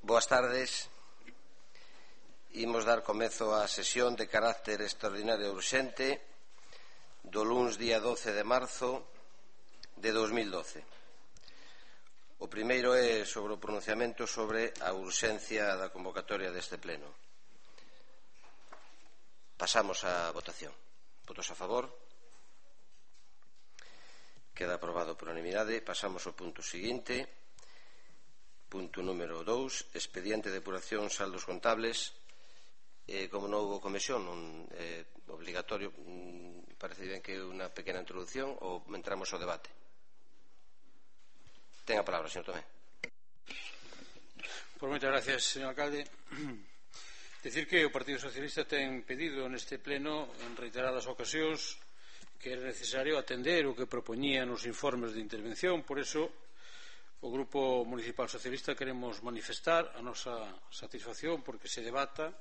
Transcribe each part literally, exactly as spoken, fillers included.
Boas tardes. Imos dar comezo á sesión de carácter extraordinario e urxente do luns día doce de marzo de dos mil doce. O primeiro é sobre o pronunciamento sobre a urxencia da convocatoria deste pleno. Pasamos á votación. Votos a favor? Queda aprobado por unanimidade. Pasamos ao punto seguinte. Punto número dous, expediente de depuración saldos contables. Eh, como non houve comisión, non é eh, obligatorio, mm, parece ben que unha pequena introducción ou entramos ao debate. Ten a palabra, señor Tomé. Por moitas gracias, señor alcalde. Decir que o Partido Socialista ten pedido neste pleno en reiteradas ocasións que era necesario atender o que propoñían os informes de intervención. Por eso o Grupo Municipal Socialista queremos manifestar a nosa satisfacción porque se debata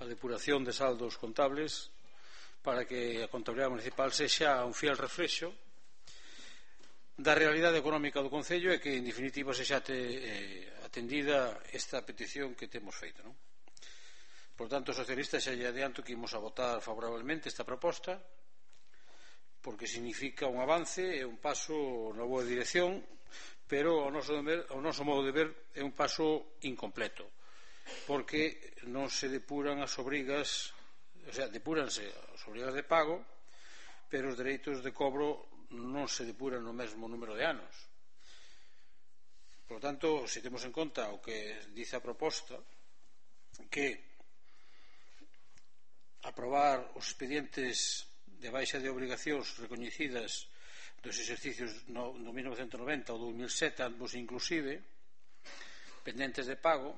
a depuración de saldos contables para que a contabilidade municipal sexa un fiel reflexo da realidade económica do Concello e que, en definitiva, sexa eh, atendida esta petición que temos feito, non? Por tanto, os socialistas xa lle adianto que imos a votar favorablemente esta proposta porque significa un avance e un paso na boa dirección, pero ao noso, deber, ao noso modo de ver é un paso incompleto porque non se depuran as obrigas, o sea, depuranse as obrigas de pago, pero os dereitos de cobro non se depuran no mesmo número de anos. Por tanto, se temos en conta o que dice a proposta, que aprobar os expedientes de baixa de obrigacións recoñecidas dos exercicios no, no mil novecentos noventa ou dos mil sete, ambos inclusive, pendentes de pago,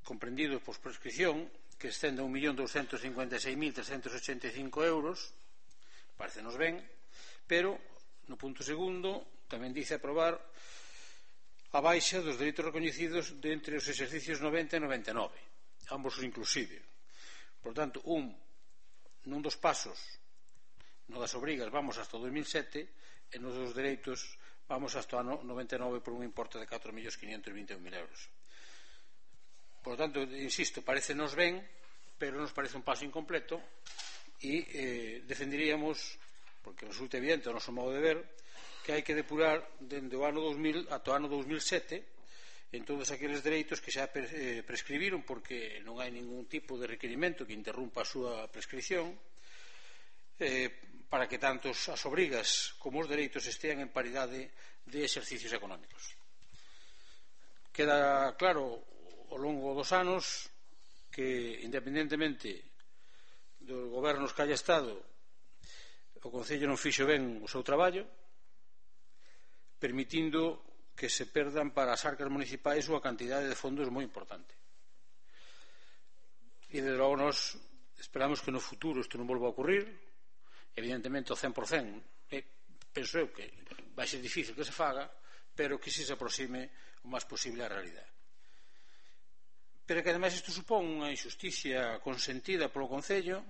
comprendidos por prescripción, que excende a un millón douscentos cincuenta e seis mil trescentos ochenta e cinco euros, parecenos ben, pero no punto segundo tamén dice aprobar a baixa dos dereitos recoñecidos de entre os exercicios noventa e noventa e nove, ambos inclusive. Por tanto, un, nun dos pasos, no das obrigas vamos hasta o dos mil sete e nos dos dereitos vamos hasta o ano noventa e nove por un importe de catro millóns quinhentos e vinte e un mil euros. Por tanto, insisto, parecenos ben, pero nos parece un paso incompleto e eh, defenderíamos, porque resulta evidente o noso modo de ver, que hai que depurar dende o ano dos mil ata o ano dos mil sete en todos aqueles dereitos que xa eh, prescribiron porque non hai ningún tipo de requerimento que interrumpa a súa prescripción, eh, para que tanto as obrigas como os dereitos estean en paridade de exercicios económicos. Queda claro ao longo dos anos que, independentemente dos gobernos que haya estado, o Concello non fixo ben o seu traballo, permitindo que se perdan para as arcas municipais unha cantidade de fondos moi importante. E, desde logo, nós esperamos que no futuro isto non volva a ocurrir. Evidentemente, o cen por cento, eh, penso eu que vai ser difícil que se faga, pero que se se aproxime o máis posible á realidade. Pero que, ademais, isto supón unha injusticia consentida polo Concello,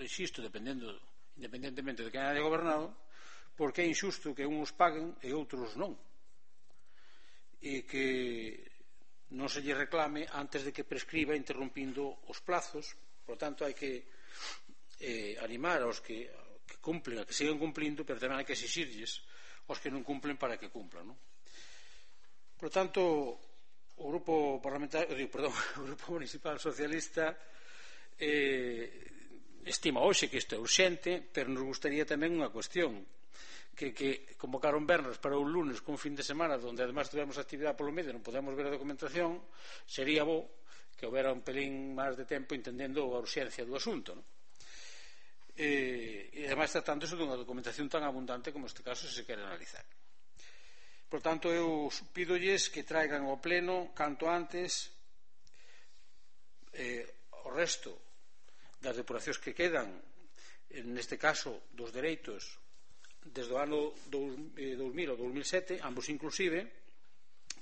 insisto, dependendo, independentemente de quen haya gobernado, porque é injusto que uns paguen e outros non. E que non se lle reclame antes de que prescriba interrompindo os plazos. Por tanto, hai que eh, animar aos que, que cumplen, a que sigan cumplindo, pero tamén hai que exixirlles aos que non cumplen para que cumplan, non? Por tanto, o grupo parlamentario, digo, perdón, o grupo municipal socialista eh, estima hoxe que isto é urxente, pero nos gustaría tamén unha cuestión, que, que convocaron vernos para un lunes con un fin de semana onde además tivemos actividade polo medio e non podemos ver a documentación, sería bo que houbera un pelín máis de tempo entendendo a urxencia do asunto, non? E, e ademais tratándose dunha documentación tan abundante como este caso se quere analizar. Por tanto, eu pídolles que traigan ao pleno canto antes eh, o resto das depuracións que quedan, neste caso dos dereitos desde o ano dos mil ao dos mil sete, ambos inclusive,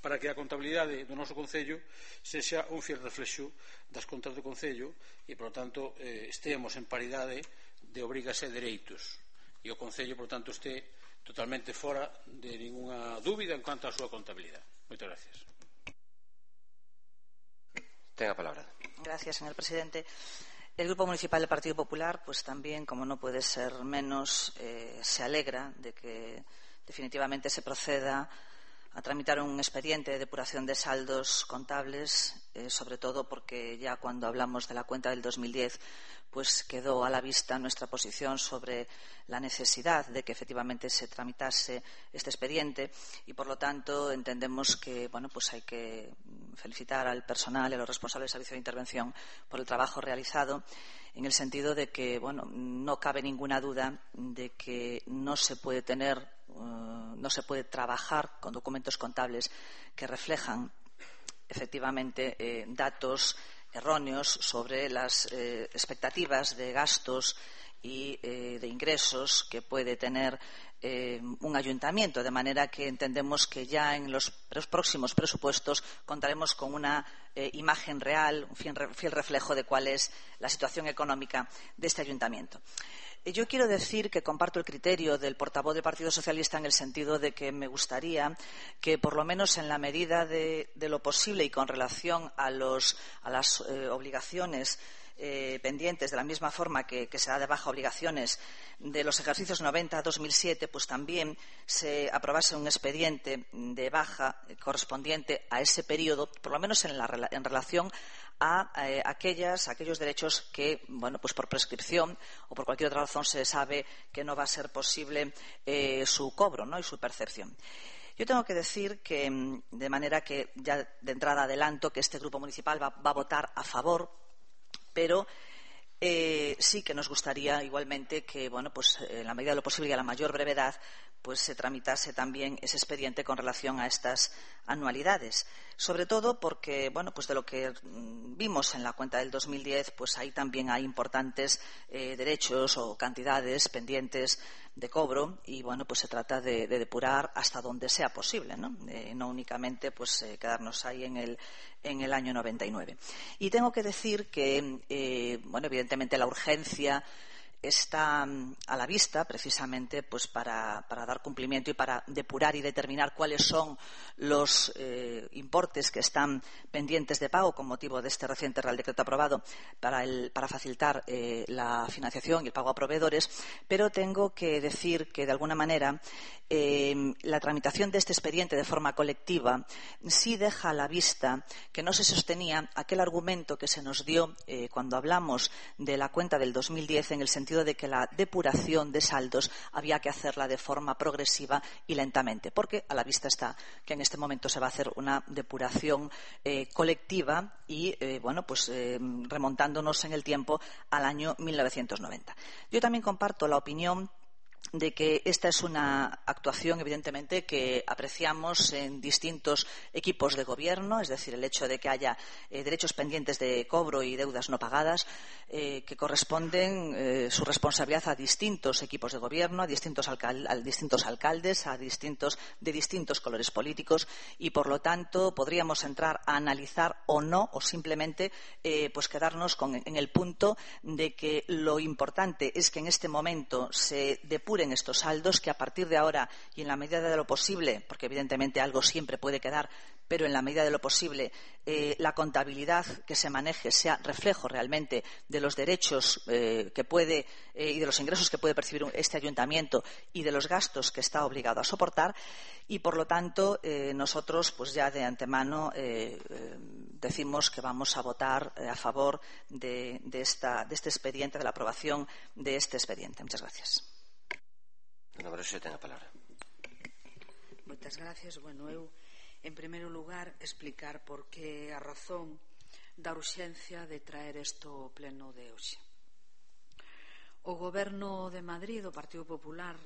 para que a contabilidade do noso Concello sexa un fiel reflexo das contas do Concello e, por tanto, eh, esteamos en paridade de obrigas e dereitos e o Concello, por tanto, este totalmente fora de ninguna dúbida en cuanto á súa contabilidade. Moitas gracias. Tenga palabra. Gracias, señor presidente. El Grupo Municipal del Partido Popular, pues también, como no puede ser menos, eh, se alegra de que definitivamente se proceda a tramitar un expediente de depuración de saldos contables, eh, sobre todo porque ya cuando hablamos de la cuenta del dos mil diez, pues quedó a la vista nuestra posición sobre la necesidad de que efectivamente se tramitase este expediente y, por lo tanto, entendemos que bueno, pues hay que felicitar al personal y a los responsables del Servicio de Intervención por el trabajo realizado, en el sentido de que bueno, no cabe ninguna duda de que no se puede tener, uh, no se puede trabajar con documentos contables que reflejan efectivamente eh, datos erróneos sobre las eh, expectativas de gastos y eh, de ingresos que puede tener eh, un ayuntamiento, de manera que entendemos que ya en los próximos presupuestos contaremos con una eh, imagen real, un fiel, fiel reflejo de cuál es la situación económica de este ayuntamiento. Yo quiero decir que comparto el criterio del portavoz del Partido Socialista en el sentido de que me gustaría que, por lo menos en la medida de, de lo posible y con relación a, los, a las eh, obligaciones eh, pendientes, de la misma forma que, que se da de baja obligaciones de los ejercicios noventa a dos mil siete, pues también se aprobase un expediente de baja correspondiente a ese periodo, por lo menos en, la, en relación a eh, aquellas, aquellos derechos que, bueno, pues por prescripción o por cualquier otra razón se sabe que no va a ser posible eh, su cobro, ¿no?, y su percepción. Yo tengo que decir que, de manera que ya de entrada adelanto que este grupo municipal va, va a votar a favor, pero eh, sí que nos gustaría igualmente que, bueno, pues en la medida de lo posible y a la mayor brevedad, pues se tramitase también ese expediente con relación a estas anualidades. Sobre todo porque, bueno, pues de lo que vimos en la cuenta del dos mil diez, pues ahí también hay importantes eh, derechos o cantidades pendientes de cobro y, bueno, pues se trata de, de depurar hasta donde sea posible, ¿no? Eh, no únicamente pues eh, quedarnos ahí en el, en el año noventa y nueve. Y tengo que decir que, eh, bueno, evidentemente la urgencia está a la vista precisamente pues para, para dar cumplimiento y para depurar y determinar cuáles son los eh, importes que están pendientes de pago con motivo de este reciente Real Decreto aprobado para, el, para facilitar eh, la financiación y el pago a proveedores, pero tengo que decir que de alguna manera eh, la tramitación de este expediente de forma colectiva sí deja a la vista que no se sostenía aquel argumento que se nos dio eh, cuando hablamos de la cuenta del dos mil diez, en el sentido de que la depuración de saldos había que hacerla de forma progresiva y lentamente, porque a la vista está que en este momento se va a hacer una depuración eh, colectiva y, eh, bueno, pues eh, remontándonos en el tiempo al año mil novecientos noventa. Yo también comparto la opinión de que esta es una actuación, evidentemente, que apreciamos en distintos equipos de gobierno, es decir, el hecho de que haya eh, derechos pendientes de cobro y deudas no pagadas eh, que corresponden eh, su responsabilidad a distintos equipos de gobierno, a distintos, alcal a distintos alcaldes, a distintos, de distintos colores políticos y, por lo tanto, podríamos entrar a analizar o no, o simplemente eh, pues quedarnos con, en el punto de que lo importante es que en este momento se depure en estos saldos, que a partir de ahora y en la medida de lo posible, porque evidentemente algo siempre puede quedar, pero en la medida de lo posible eh, la contabilidad que se maneje sea reflejo realmente de los derechos eh, que puede eh, y de los ingresos que puede percibir este ayuntamiento y de los gastos que está obligado a soportar y, por lo tanto, eh, nosotros pues ya de antemano eh, eh, decimos que vamos a votar eh, a favor de, de, esta, de este expediente, de la aprobación de este expediente. Muchas gracias. Moitas gracias. Bueno, eu, en primeiro lugar, explicar por que a razón da urxencia de traer isto ao pleno de hoxe. O Goberno de Madrid, do Partido Popular,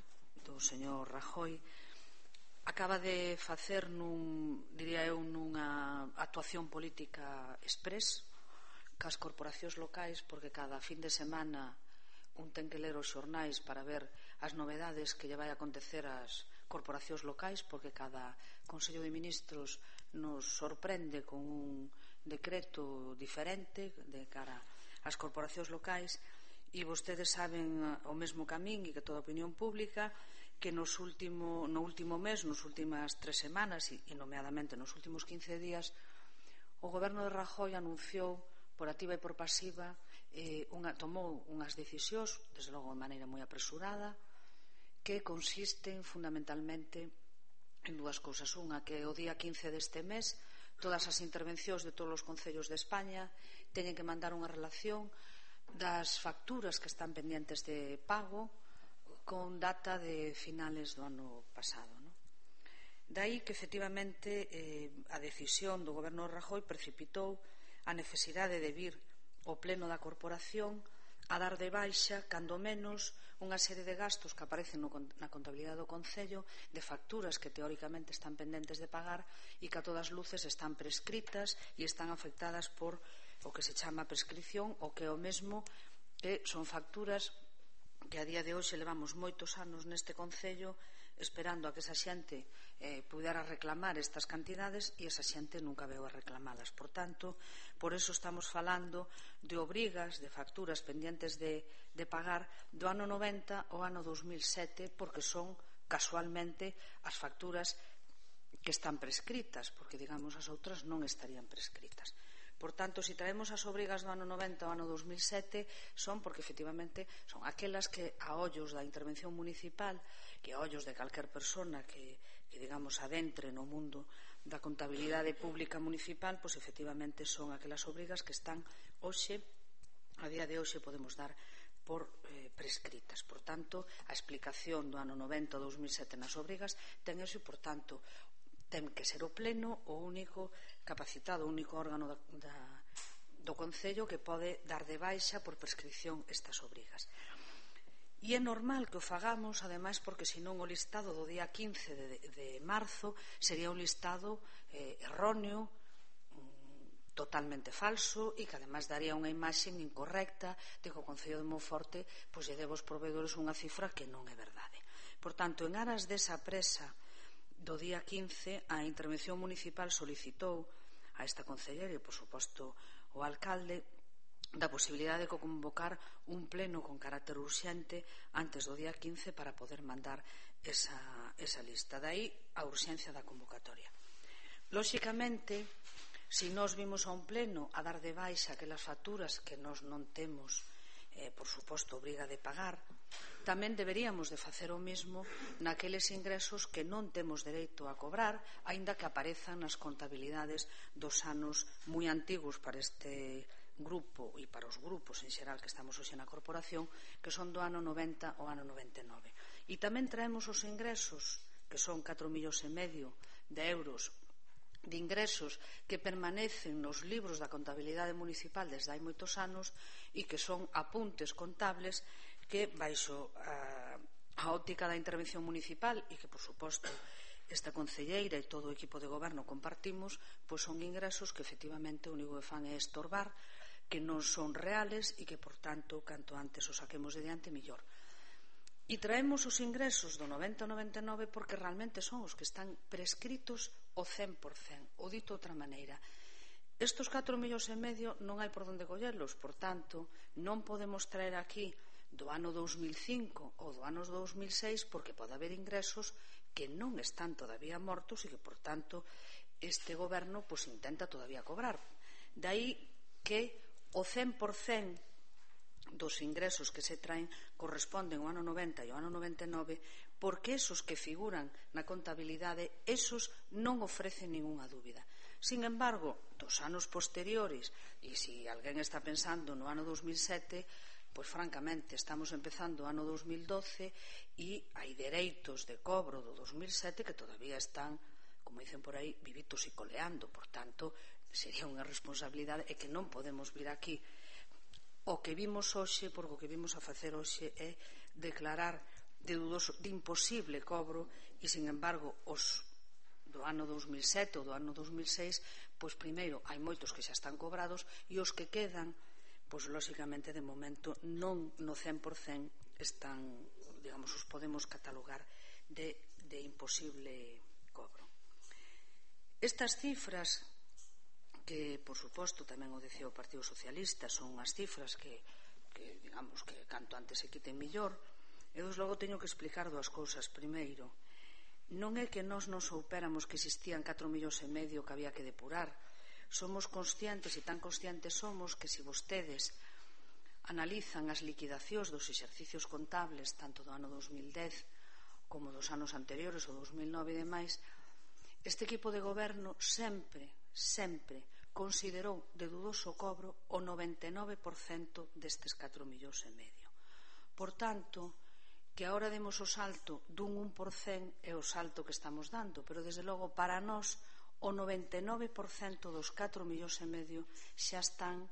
do señor Rajoy, acaba de facer, nun, diría eu, nunha actuación política express cas corporacións locais, porque cada fin de semana un ten que ler os xornais para ver as novedades que lle vai acontecer ás corporacións locais, porque cada Consello de Ministros nos sorprende con un decreto diferente de cara ás corporacións locais, e vostedes saben o mesmo camín e que toda a opinión pública que nos último, no último mes, nos últimas tres semanas e, e nomeadamente nos últimos quince días, o goberno de Rajoy anunciou por activa e por pasiva, eh, unha, tomou unhas decisións, desde logo de maneira moi apresurada, que consisten fundamentalmente en dúas cousas. Unha, que o día quince deste mes todas as intervencións de todos os concellos de España teñen que mandar unha relación das facturas que están pendientes de pago con data de finales do ano pasado, non? Daí que efectivamente eh, a decisión do goberno de Rajoy precipitou a necesidade de vir o pleno da corporación a dar de baixa, cando menos, unha serie de gastos que aparecen no, na contabilidade do Concello, de facturas que teóricamente están pendentes de pagar e que a todas luces están prescritas e están afectadas por o que se chama prescripción, o que é o mesmo que son facturas que a día de hoxe levamos moitos anos neste Concello esperando a que esa xente eh, pudera reclamar estas cantidades e esa xente nunca veu a reclamalas. Por tanto, por eso estamos falando de obrigas, de facturas pendientes de, de pagar do ano noventa ao ano dos mil sete, porque son casualmente as facturas que están prescritas, porque digamos as outras non estarían prescritas. Por tanto, se traemos as obrigas do ano noventa ao ano dos mil sete son porque efectivamente son aquelas que a ollos da intervención municipal, que a ollos de calquer persona que, que digamos adentre no mundo da contabilidade pública municipal, pois efectivamente son aquelas obrigas que están hoxe, a día de hoxe podemos dar por eh, prescritas. Por tanto, a explicación do ano noventa ao dos mil sete nas obrigas ten eso e, por tanto, ten que ser o pleno o único capacitado, o único órgano da, da, do Concello que pode dar de baixa por prescripción estas obrigas. E é normal que o fagamos, ademais, porque senón o listado do día quince de, de marzo sería un listado eh, erróneo, mm, totalmente falso e que ademais daría unha imaxe incorrecta de que o Concello de Monforte pois lle debe aos proveedores unha cifra que non é verdade. Por tanto, en aras desa presa do día quince, a intervención municipal solicitou a esta concelleira e, por suposto, o alcalde da posibilidade de convocar un pleno con carácter urxente antes do día quince para poder mandar esa, esa lista. Daí a urxencia da convocatoria. Lóxicamente, se nós vimos a un pleno a dar de baixa aquelas facturas que nós non temos, eh, por suposto, obriga de pagar, tamén deberíamos de facer o mesmo naqueles ingresos que non temos dereito a cobrar, aínda que aparezan nas contabilidades dos anos moi antigos para este grupo e para os grupos en xeral que estamos hoxe na corporación, que son do ano noventa ao ano noventa e nove. E tamén traemos os ingresos, que son catro millóns e medio de euros de ingresos que permanecen nos libros da contabilidade municipal desde hai moitos anos e que son apuntes contables que baixo a, a óptica da intervención municipal e que, por suposto, esta concelleira e todo o equipo de goberno compartimos, pois son ingresos que efectivamente o único que fan é estorbar, que non son reales e que, por tanto, canto antes os saquemos de diante, mellor. E traemos os ingresos do noventa ao noventa e nove porque realmente son os que están prescritos o cen por cen, ou dito de outra maneira. Estos catro millóns e medio non hai por onde collerlos, por tanto, non podemos traer aquí do ano dous mil cinco ou do ano dous mil seis porque pode haber ingresos que non están todavía mortos e que, por tanto, este goberno pues, intenta todavía cobrar. Daí que o cen por cen dos ingresos que se traen corresponden ao ano noventa e ao ano noventa e nove porque esos que figuran na contabilidade esos non ofrecen ningunha dúbida. Sin embargo, dos anos posteriores, e se alguén está pensando no ano dous mil sete, pois francamente estamos empezando o ano dous mil doce e hai dereitos de cobro do dous mil sete que todavía están, como dicen por aí, vivitos e coleando. Por tanto, sería unha responsabilidade e que non podemos vir aquí. O que vimos hoxe, porque o que vimos a facer hoxe é declarar de dudoso, de imposible cobro e, sin embargo, os do ano dous mil sete ou do ano dous mil seis, pois primeiro hai moitos que xa están cobrados e os que quedan, pois lóxicamente de momento non no cen por cen están, digamos, os podemos catalogar de, de imposible cobro. Estas cifras que, por suposto, tamén o dicía o Partido Socialista, son unhas cifras que, que digamos, que canto antes se quiten millor. E desde logo teño que explicar dúas cousas. Primeiro, non é que nós non soupéramos que existían catro millóns e medio que había que depurar, somos conscientes, e tan conscientes somos, que se vostedes analizan as liquidacións dos exercicios contables tanto do ano dos mil dez como dos anos anteriores, o dos mil nove e demais, este equipo de goberno sempre, sempre considerou de dudoso cobro o noventa e nove por cento destes catro millóns e medio. Por tanto, que agora demos o salto dun un por cento é o salto que estamos dando, pero desde logo para nós o noventa e nove por cento dos catro millóns e medio xa están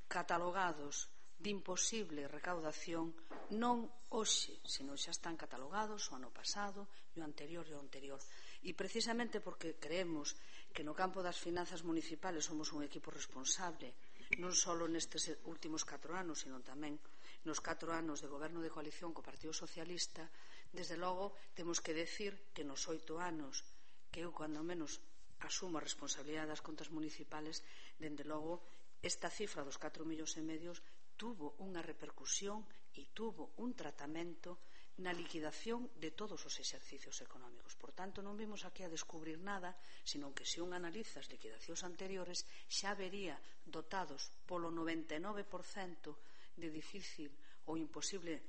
catalogados de imposible recaudación, non hoxe, senón xa están catalogados o ano pasado e o anterior e o anterior. E precisamente porque creemos que no campo das finanzas municipales somos un equipo responsable, non só nestes últimos catro anos, sino tamén nos catro anos de goberno de coalición co Partido Socialista, desde logo temos que decir que nos oito anos que eu, cando menos, asumo a responsabilidade das contas municipales, dende logo esta cifra dos catro millóns e medios tuvo unha repercusión e tuvo un tratamento na liquidación de todos os exercicios económicos. Por tanto, non vimos aquí a descubrir nada, senón que se un analiza as liquidacións anteriores xa vería dotados polo noventa e nove por cento de difícil ou imposible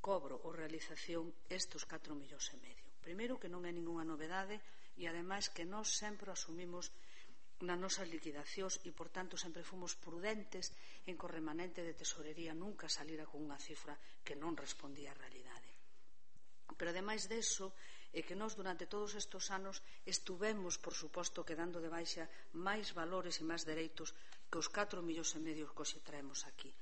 cobro ou realización estes catro millóns e medio. Primeiro, que non é ningunha novedade e, ademais, que nós sempre asumimos nas nosas liquidacións e, por tanto, sempre fomos prudentes en que o remanente de tesorería nunca salira con unha cifra que non respondía á realidade. Pero, ademais deso, é que nós durante todos estes anos estuvemos, por suposto, quedando de baixa máis valores e máis dereitos que os catro millóns e medio que hoxe traemos aquí.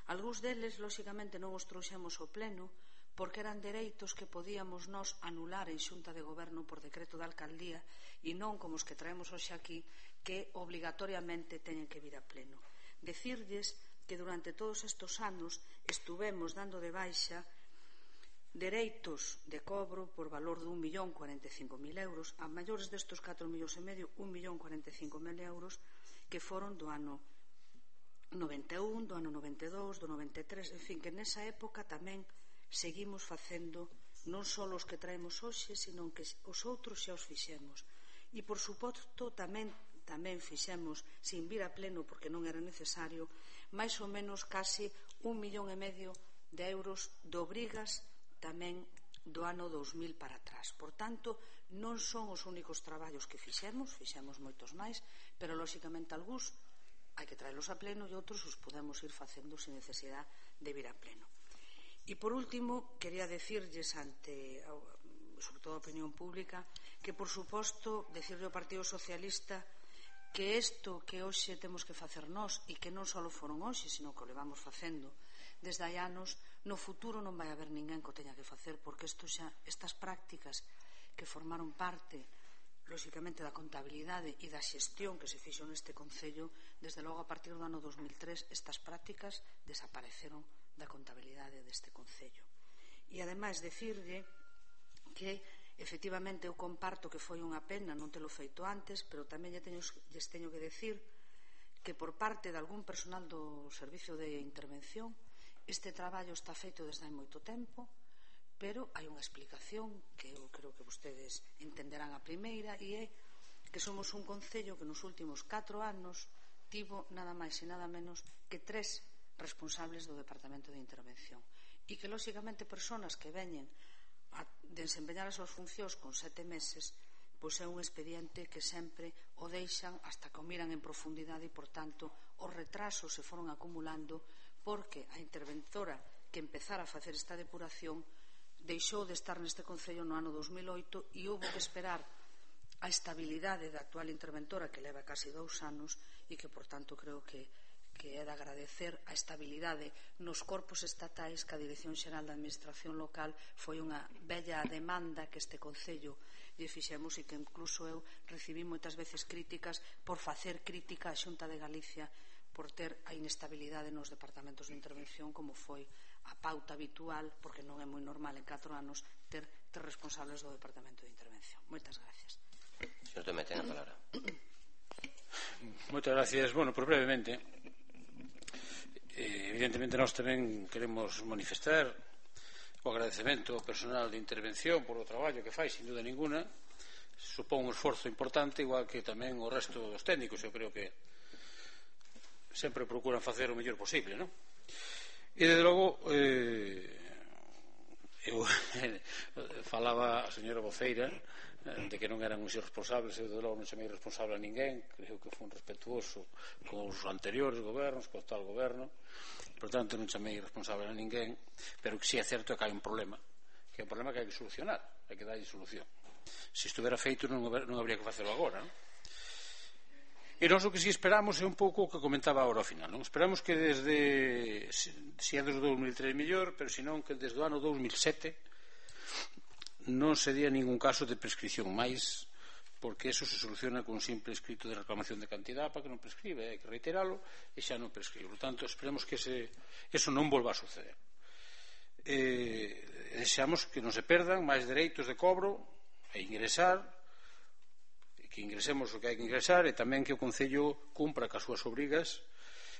Algúns deles, lóxicamente, non os trouxemos ao pleno porque eran dereitos que podíamos nós anular en xunta de goberno por decreto de alcaldía e non como os que traemos hoxe aquí, que obligatoriamente teñen que vir a pleno. Decirlles que durante todos estes anos estuvemos dando de baixa dereitos de cobro por valor de un millón cuarenta e cinco mil euros, a maiores destes catro millóns e medio, un millón cuarenta e cinco mil euros, que foron do ano noventa e un, do ano noventa e dous, do noventa e tres, en fin, que nesa época tamén seguimos facendo non só os que traemos hoxe, senón que os outros xa os fixemos. E, por suposto, tamén tamén fixemos, sin vir a pleno porque non era necesario, máis ou menos case un millón e medio de euros de obrigas tamén do ano dos mil para atrás. Por tanto, non son os únicos traballos que fixemos, fixemos moitos máis, pero, lóxicamente, algúns hai que traelos a pleno e outros os podemos ir facendo sin necesidade de vir a pleno. E, por último, quería decirlles ante, sobre todo a opinión pública, que, por suposto, decirle ao Partido Socialista que isto que hoxe temos que facer nós e que non só foron hoxe, sino que o levamos facendo desde hai anos, no futuro non vai haber ninguén que o teña que facer, porque isto xa, estas prácticas que formaron parte, lóxicamente, da contabilidade e da xestión que se fixo neste Concello, desde logo a partir do ano dos mil tres, estas prácticas desapareceron da contabilidade deste Concello. E, ademais, decirlle que, efectivamente, eu comparto que foi unha pena non telo feito antes, pero tamén lles teño que decir que, por parte de algún personal do Servicio de Intervención, este traballo está feito desde hai moito tempo, pero hai unha explicación que eu creo que vostedes entenderán a primeira, e é que somos un Concello que nos últimos catro anos tivo nada máis e nada menos que tres responsables do Departamento de Intervención, e que, lóxicamente, persoas que veñen a desempeñar as súas funcións con sete meses, pois é un expediente que sempre o deixan hasta que o miran en profundidade e, por tanto, os retrasos se foron acumulando porque a interventora que empezara a facer esta depuración deixou de estar neste Concello no ano dos mil oito e houve que esperar a estabilidade da actual interventora, que leva casi dous anos e que, por tanto, creo que que é de agradecer a estabilidade nos corpos estatais, que a Dirección Xeral da Administración Local foi unha bella demanda que este Concello lle fixemos, e que incluso eu recibí moitas veces críticas por facer crítica á Xunta de Galicia por ter a inestabilidade nos departamentos de intervención, como foi a pauta habitual, porque non é moi normal en catro anos ter tres responsables do Departamento de Intervención. Moitas gracias. Señor Tomé, ten a palabra. Moitas gracias. Bueno, pues brevemente, eh, evidentemente nós tamén queremos manifestar o agradecemento ao personal de intervención por o traballo que fai, sin duda ninguna, supón un esforzo importante, igual que tamén o resto dos técnicos. Eu creo que sempre procuran facer o mellor posible, non? E, desde logo, eh, eu falaba a señora voceira de que non eran uns irresponsables. Eu, desde logo, non chamei responsable a ninguén. Creo que foi un respetuoso con os anteriores gobernos, co tal goberno. Por tanto, non chamei responsable a ninguén. Pero que si é certo que hai un problema, que é un problema que hai que solucionar, hai que darlle solución. Se estuvera feito non, non habría que facelo agora, non? E nós o que si esperamos é un pouco o que comentaba agora ao final, non? Esperamos que desde, se é desde o dous mil tres mellor, pero senón que desde o ano dous mil sete non se día ningún caso de prescripción máis, porque eso se soluciona con un simple escrito de reclamación de cantidad para que non prescribe, hai que reiteralo e xa non prescribe. Por tanto, esperemos que ese, eso non volva a suceder. Eh, deseamos que non se perdan máis dereitos de cobro e ingresar, que ingresemos o que hai que ingresar, e tamén que o Concello cumpra cas súas obrigas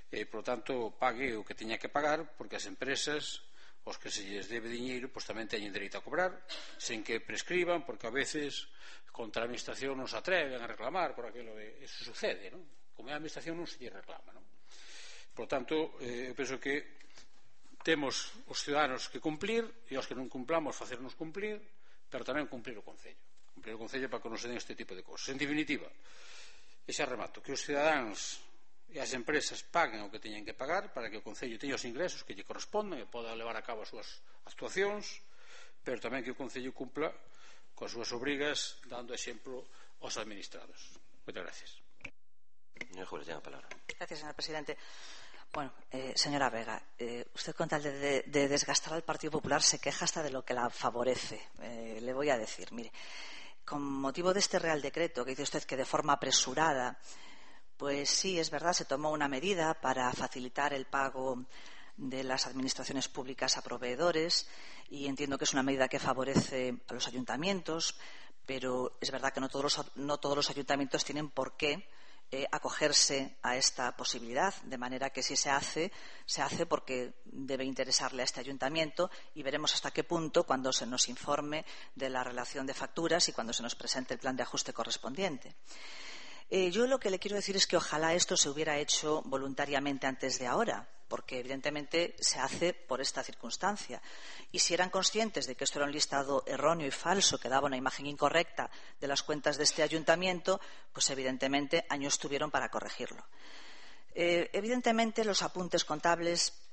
e, por tanto, pague o que teña que pagar, porque as empresas, os que se lles debe diñeiro, pois tamén teñen dereito a cobrar, sen que prescriban, porque a veces contra a administración non se atreven a reclamar por aquilo de... Eso sucede, non? Como é a administración non se lle reclama, non? Por tanto, eh, eu penso que temos os ciudadanos que cumplir, e os que non cumplamos facernos cumplir, pero tamén cumplir o Concello, cumplir o Concello para que non se den este tipo de cosas. En definitiva, e xa remato, que os cidadáns e as empresas paguen o que teñen que pagar para que o Concello teña os ingresos que lle corresponden e poda levar a cabo as súas actuacións, pero tamén que o Concello cumpla coas súas obrigas, dando exemplo aos administrados. Moitas gracias. Gracias, señor presidente. Bueno, eh, señora Vega, eh, usted con tal de, de, de desgastar al Partido Popular se queja hasta de lo que la favorece. Eh, le voy a decir, mire, con motivo de este Real Decreto que dice usted que de forma apresurada, pues sí, es verdad, se tomó una medida para facilitar el pago de las administraciones públicas a proveedores, y entiendo que es una medida que favorece a los ayuntamientos, pero es verdad que no todos los, no todos los ayuntamientos tienen por qué Eh, acogerse a esta posibilidad, de manera que si se hace, se hace porque debe interesarle a este ayuntamiento, y veremos hasta qué punto cuando se nos informe de la relación de facturas y cuando se nos presente el plan de ajuste correspondiente. Eh, yo lo que le quiero decir es que ojalá esto se hubiera hecho voluntariamente antes de ahora, porque evidentemente se hace por esta circunstancia. Y si eran conscientes de que esto era un listado erróneo y falso, que daba una imagen incorrecta de las cuentas de este ayuntamiento, pues evidentemente años tuvieron para corregirlo. Eh, evidentemente los apuntes contables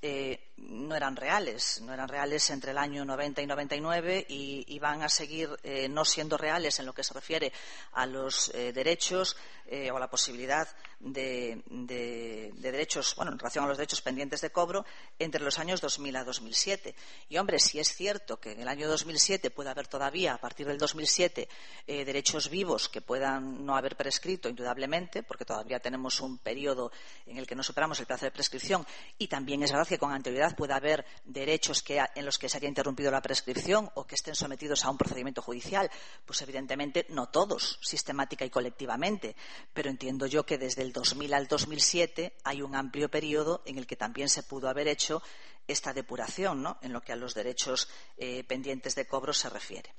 Eh, no eran reales, no eran reales entre el año noventa y noventa y nueve y, y van a seguir eh, no siendo reales en lo que se refiere a los eh, derechos eh, o a la posibilidad de, de, de derechos, bueno, en relación a los derechos pendientes de cobro entre los años dos mil a dos mil siete. Y hombre, si es cierto que en el año dos mil siete puede haber todavía, a partir del dos mil siete, eh, derechos vivos que puedan no haber prescrito, indudablemente, porque todavía tenemos un periodo en el que no superamos el plazo de prescripción, y también es verdad que con anterioridad puede haber derechos que, en los que se haya interrumpido la prescripción o que estén sometidos a un procedimiento judicial, pues evidentemente no todos, sistemática y colectivamente, pero entiendo yo que desde el dos mil al dos mil siete hay un amplio periodo en el que también se pudo haber hecho esta depuración, ¿no?, en lo que a los derechos eh, pendientes de cobro se refiere.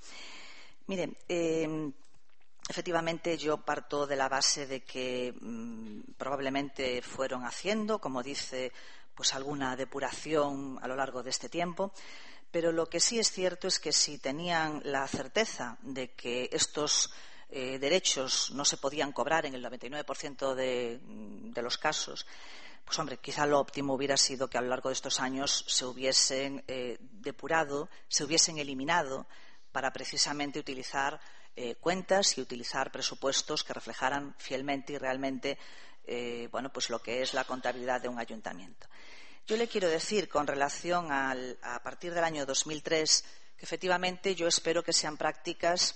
Miren, eh, efectivamente, yo parto de la base de que mmm, probablemente fueron haciendo, como dice, pues alguna depuración a lo largo de este tiempo, pero lo que sí es cierto es que si tenían la certeza de que estos eh, derechos no se podían cobrar en el noventa y nueve por ciento de, de los casos, pues hombre, quizá lo óptimo hubiera sido que a lo largo de estos años se hubiesen eh, depurado, se hubiesen eliminado para precisamente utilizar eh, cuentas y utilizar presupuestos que reflejaran fielmente y realmente eh, bueno, pues lo que es la contabilidad de un ayuntamiento. Yo le quiero decir, con relación al, a partir del año dos mil tres, que efectivamente yo espero que sean prácticas.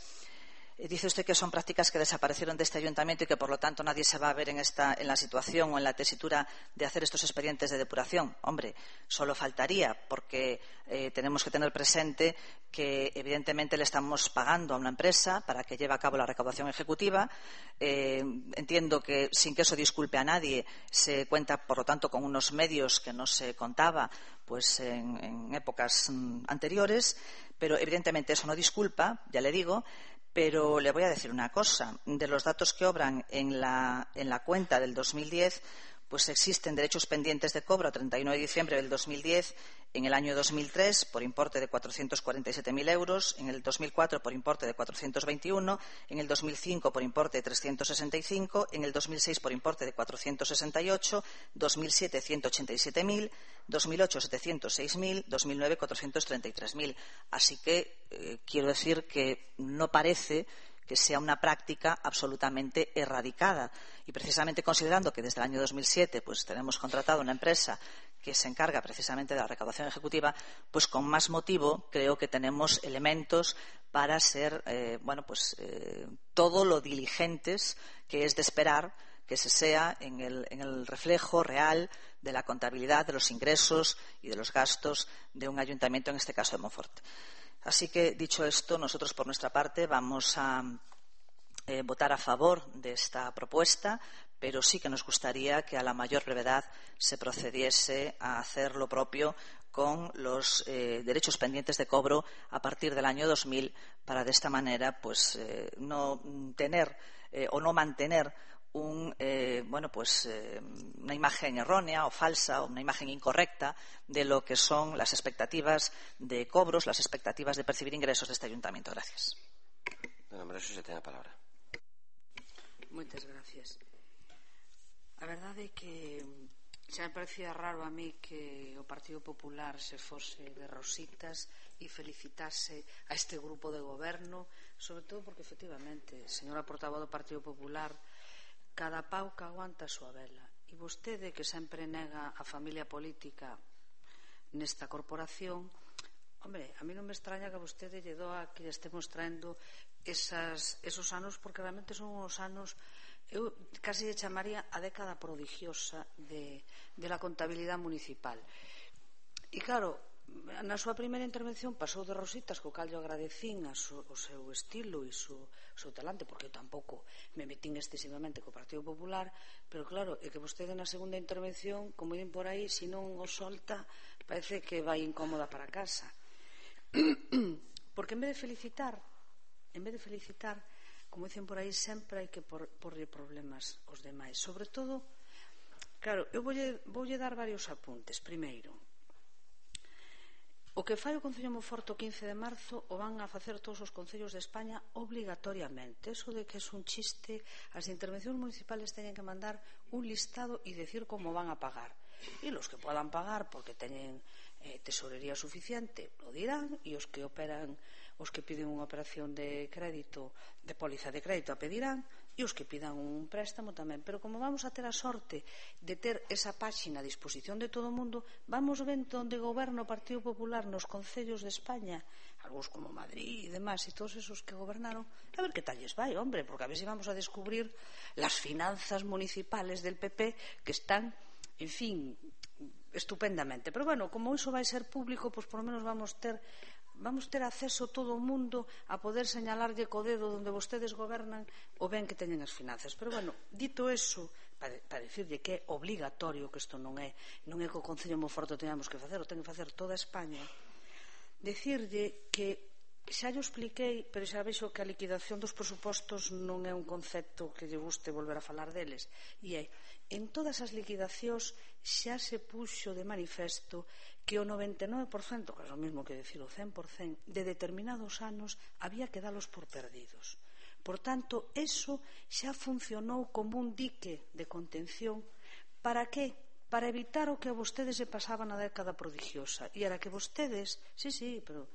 Dice usted que son prácticas que desaparecieron de este ayuntamiento y que, por lo tanto, nadie se va a ver en, esta, en la situación o en la tesitura de hacer estos expedientes de depuración. Hombre, solo faltaría, porque eh, tenemos que tener presente que, evidentemente, le estamos pagando a una empresa para que lleve a cabo la recaudación ejecutiva. Eh, entiendo que, sin que eso disculpe a nadie, se cuenta, por lo tanto, con unos medios que no se contaba pues, en, en épocas mm, anteriores, pero, evidentemente, eso no disculpa, ya le digo. Pero le voy a decir una cosa. De los datos que obran en la, en la cuenta del dos mil diez, pues existen derechos pendientes de cobro a treinta y uno de diciembre del dos mil diez en el año dos mil tres por importe de cuatrocientos cuarenta y siete mil euros, en el dos mil cuatro por importe de cuatrocientos veintiuno, en el dos mil cinco por importe de trescientos sesenta y cinco, en el dos mil seis por importe de cuatrocientos sesenta y ocho, dos mil siete ciento ochenta y siete mil, dos mil ocho setecientos seis mil, dos mil nueve cuatrocientos treinta y tres mil. Así que eh, quiero decir que no parece que sea una práctica absolutamente erradicada. Y precisamente considerando que desde el año dos mil siete pues, tenemos contratado una empresa que se encarga precisamente de la recaudación ejecutiva, pues con más motivo creo que tenemos elementos para ser eh, bueno, pues, eh, todo lo diligentes que es de esperar que se sea en el, en el reflejo real de la contabilidad de los ingresos y de los gastos de un ayuntamiento, en este caso de Monforte. Así que, dicho esto, nosotros por nuestra parte vamos a eh, votar a favor de esta propuesta, pero sí que nos gustaría que a la mayor brevedad se procediese a hacer lo propio con los eh, derechos pendientes de cobro a partir del año dos mil, para de esta manera pues, eh, no tener eh, o no mantener Un, eh, bueno, pues, eh, una imagen errónea o falsa o una imagen incorrecta de lo que son las expectativas de cobros, las expectativas de percibir ingresos de este ayuntamiento. Gracias. Dona María, se ten a palabra. Moitas gracias. A verdade é que xa me parecía raro a mí que o Partido Popular se fose de rositas e felicitase a este grupo de goberno, sobre todo porque, efectivamente, señora portavoz do Partido Popular, cada pau que aguanta a súa vela. E vostede, que sempre nega a familia política nesta corporación, hombre, a mí non me extraña que a vostede lle doa que lle estemos traendo esas, esos anos, porque realmente son uns anos, eu casi lle chamaría a década prodigiosa de, de la contabilidade municipal. E claro, na súa primeira intervención pasou de rositas, co cal yo agradecín a su, o seu estilo e o seu, seu talante, porque eu tampouco me metín excesivamente co Partido Popular, pero claro, é que vostede na segunda intervención, como din por aí, se non o solta, parece que vai incómoda para casa. Porque en vez de felicitar, en vez de felicitar, como dicen por aí, sempre hai que por, porre problemas aos demais. Sobre todo, claro, eu voulle, voulle dar varios apuntes. Primeiro, o que fai o Concello de Monforte o quince de marzo o van a facer todos os concellos de España obligatoriamente. Eso de que é un chiste, as intervencións municipales teñen que mandar un listado e decir como van a pagar. E los que podan pagar porque teñen eh, tesorería suficiente lo dirán, e os que operan, os que piden unha operación de crédito, de póliza de crédito a pedirán, e os que pidan un préstamo tamén. Pero como vamos a ter a sorte de ter esa páxina a disposición de todo o mundo, vamos vendo onde goberna o Partido Popular nos concellos de España, algúns como Madrid e demás, e todos esos que gobernaron, a ver que tal lles vai, hombre, porque a ver se vamos a descubrir las finanzas municipales del P P que están, en fin, estupendamente. Pero bueno, como iso vai ser público, pois por lo menos vamos ter vamos ter acceso todo o mundo a poder señalarlle co dedo onde vostedes gobernan o ben que teñen as finanzas. Pero bueno, dito eso, para, para decirlle que é obligatorio, que isto non é non é que o Concello de Monforte teñamos que facer, o ten que facer toda España, decirlle que xa yo expliquei, pero xa vexo que a liquidación dos presupostos non é un concepto que lle guste volver a falar deles, e é, en todas as liquidacións xa se puxo de manifesto que o noventa e nove por cento, que é o mesmo que decir o cen por cento, de determinados anos había que dalos por perdidos. Por tanto, eso xa funcionou como un dique de contención. Para que? Para evitar o que a vostedes se pasaba na década prodigiosa. E era que vostedes, sí, sí, pero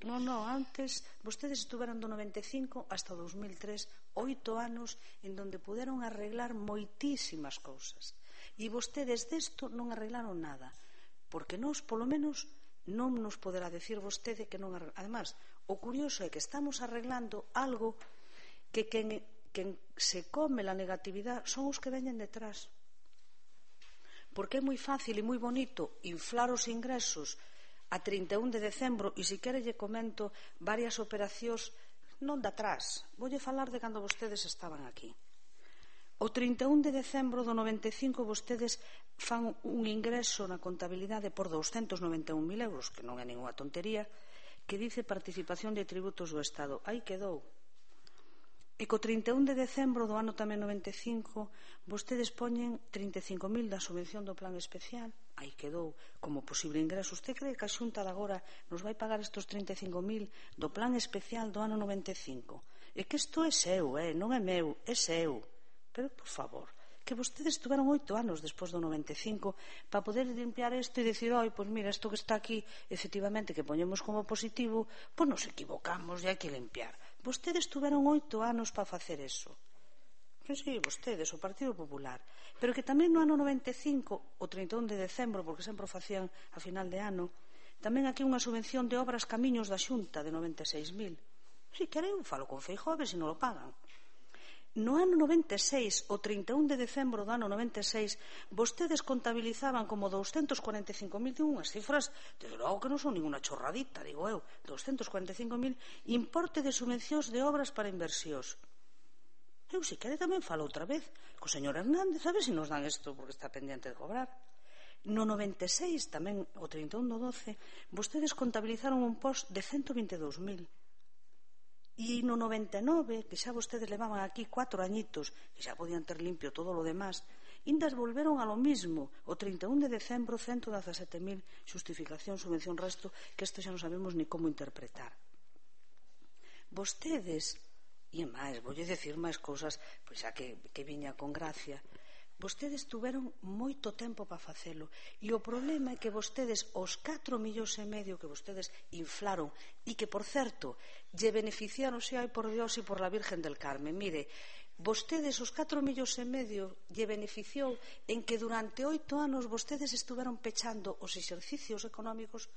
non, non, antes vostedes estuveron do noventa e cinco hasta o dos mil tres, oito anos en donde puderon arreglar moitísimas cousas. E vostedes desto non arreglaron nada, porque nós, polo menos, non nos poderá decir vostede que non arreglamos. Además, o curioso é que estamos arreglando algo que quen, quen se come la negatividade son os que veñen detrás. Porque é moi fácil e moi bonito inflar os ingresos a trinta e un de decembro, e se quere lle comento varias operacións non de atrás, voulle falar de cando vostedes estaban aquí. O trinta e un de decembro do noventa e cinco vostedes fan un ingreso na contabilidade por douscentos noventa e un mil euros, que non é ninguna tontería, que dice participación de tributos do Estado. Aí quedou. E co trinta e un de decembro do ano tamén noventa e cinco vostedes poñen trinta e cinco mil da subvención do plan especial. Aí quedou como posible ingreso. Usted cree que a Xunta de agora nos vai pagar estes trinta e cinco mil do plan especial do ano noventa e cinco? É que isto é seu, eh? Non é meu, é seu. Pero, por favor, que vostedes tuveron oito anos despois do noventa e cinco para poder limpiar isto e dicir, oi, pois mira, isto que está aquí, efectivamente, que poñemos como positivo, pois nos equivocamos e hai que limpiar. Vostedes tuveron oito anos para facer eso. Que sí, vostedes, o Partido Popular. Pero que tamén no ano noventa e cinco, o trinta e un de decembro, porque sempre o facían a final de ano, tamén aquí unha subvención de obras camiños da Xunta de noventa e seis mil. Si quere, eu falo con Feijóo a ver se non lo pagan. No ano noventa e seis, o trinta e un de decembro do ano noventa e seis, vostedes contabilizaban como doscientos cuarenta e cinco mil, unhas cifras, desde logo que non son ninguna chorradita, digo eu, doscientos cuarenta e cinco mil importe de subvencións de obras para inversións. Eu, se quere, tamén falo outra vez co señor Hernández, a ver se nos dan isto porque está pendiente de cobrar. No noventa e seis, tamén o trinta e un do doce, vostedes contabilizaron un post de ciento vinte e dous mil. E no noventa e nove, que xa vostedes levaban aquí cuatro añitos, que xa podían ter limpio todo lo demás, indas volveron a lo mismo, o trinta e un de decembro, ciento dezasete mil, xustificación, subvención, resto, que isto xa non sabemos ni como interpretar. Vostedes, e máis, voulle decir máis cousas, pois xa que, que viña con gracia, vostedes tuveron moito tempo para facelo, e o problema é que vostedes, os catro millóns e medio que vostedes inflaron, e que, por certo, lle beneficiaron, se hai por Dios e por la Virgen del Carmen, mire, vostedes, os catro millóns e medio, lle beneficiou en que durante oito anos vostedes estuveron pechando os exercicios económicos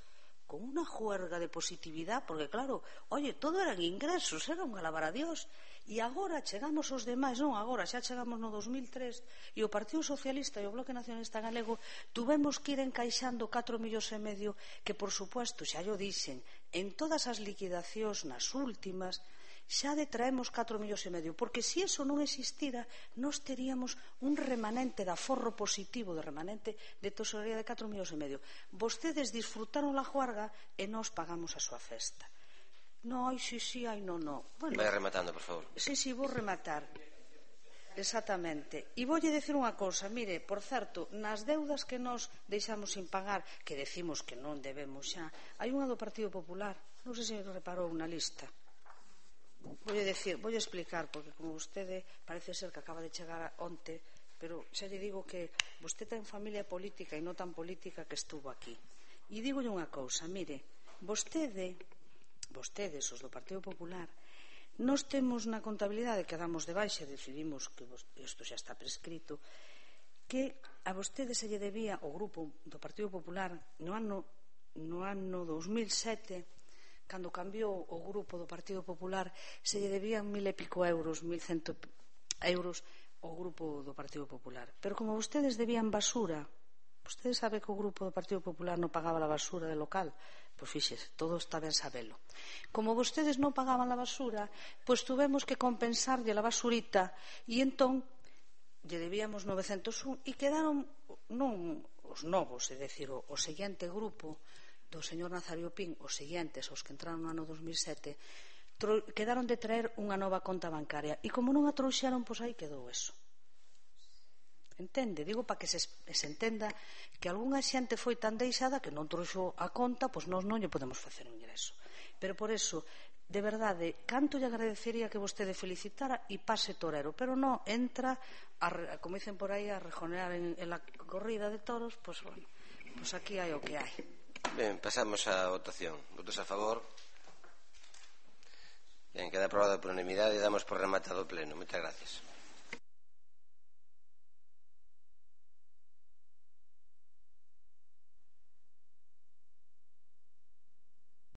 con unha juerga de positividade, porque claro, oye, todo eran ingresos, era un alabar a Dios, e agora chegamos os demais, non agora, xa chegamos no dos mil tres, e o Partido Socialista e o Bloque Nacionalista Galego tuvemos que ir encaixando catro millóns e medio, que por supuesto, xa yo dixen, en todas as liquidacións nas últimas, xa detraemos catro millóns e medio, porque se eso non existira, nós teríamos un remanente de aforro positivo, de remanente de tesorería de catro millóns e medio. Vostedes disfrutaron la juarga e nós pagamos a súa festa. No, ai, sí, sí, ai, no, no. Bueno, vai rematando, por favor. Sí, sí, vou rematar. Exactamente. E voulle decir unha cousa, mire, por certo, nas deudas que nós deixamos sin pagar, que decimos que non debemos xa, hai unha do Partido Popular, non sei se reparou na lista. Voulle decir, voulle explicar, porque como vostede parece ser que acaba de chegar onte, pero xa lle digo que vostede ten familia política e non tan política que estuvo aquí. E digolle unha cousa, mire, vostede, vostedes, os do Partido Popular, nós temos na contabilidade que damos de baixa, decidimos que isto xa está prescrito, que a vostede se lle debía o grupo do Partido Popular no ano, no ano dos mil sete, cando cambiou o grupo do Partido Popular, se lle debían mil e pico euros, mil cento euros ao grupo do Partido Popular. Pero como vostedes debían basura, vostedes sabe que o grupo do Partido Popular non pagaba a basura de local, pois fíxese, todo está ben sabelo. Como vostedes non pagaban a basura, pois tuvemos que compensarlle a basurita, e entón lle debíamos novecentos un, e quedaron non os novos, é dicir, o, o seguinte grupo do señor Nazario Pín, os seguintes, os que entraron no ano dos mil sete, quedaron de traer unha nova conta bancaria, e como non a trouxeron, pois aí quedou eso. Entende? Digo para que se, se entenda que algunha xente foi tan deixada que non trouxo a conta, pois nós non lle podemos facer un ingreso. Pero por eso, de verdade, canto lle agradecería que vostede felicitara e pase torero, pero non entra, a, como dicen por aí, a rejonear en, en la corrida de toros, pois bueno, pois aquí hai o que hai. Ben, pasamos á votación. Votos a favor? Ben, queda aprobado por unanimidade e damos por rematado o pleno. Moitas gracias.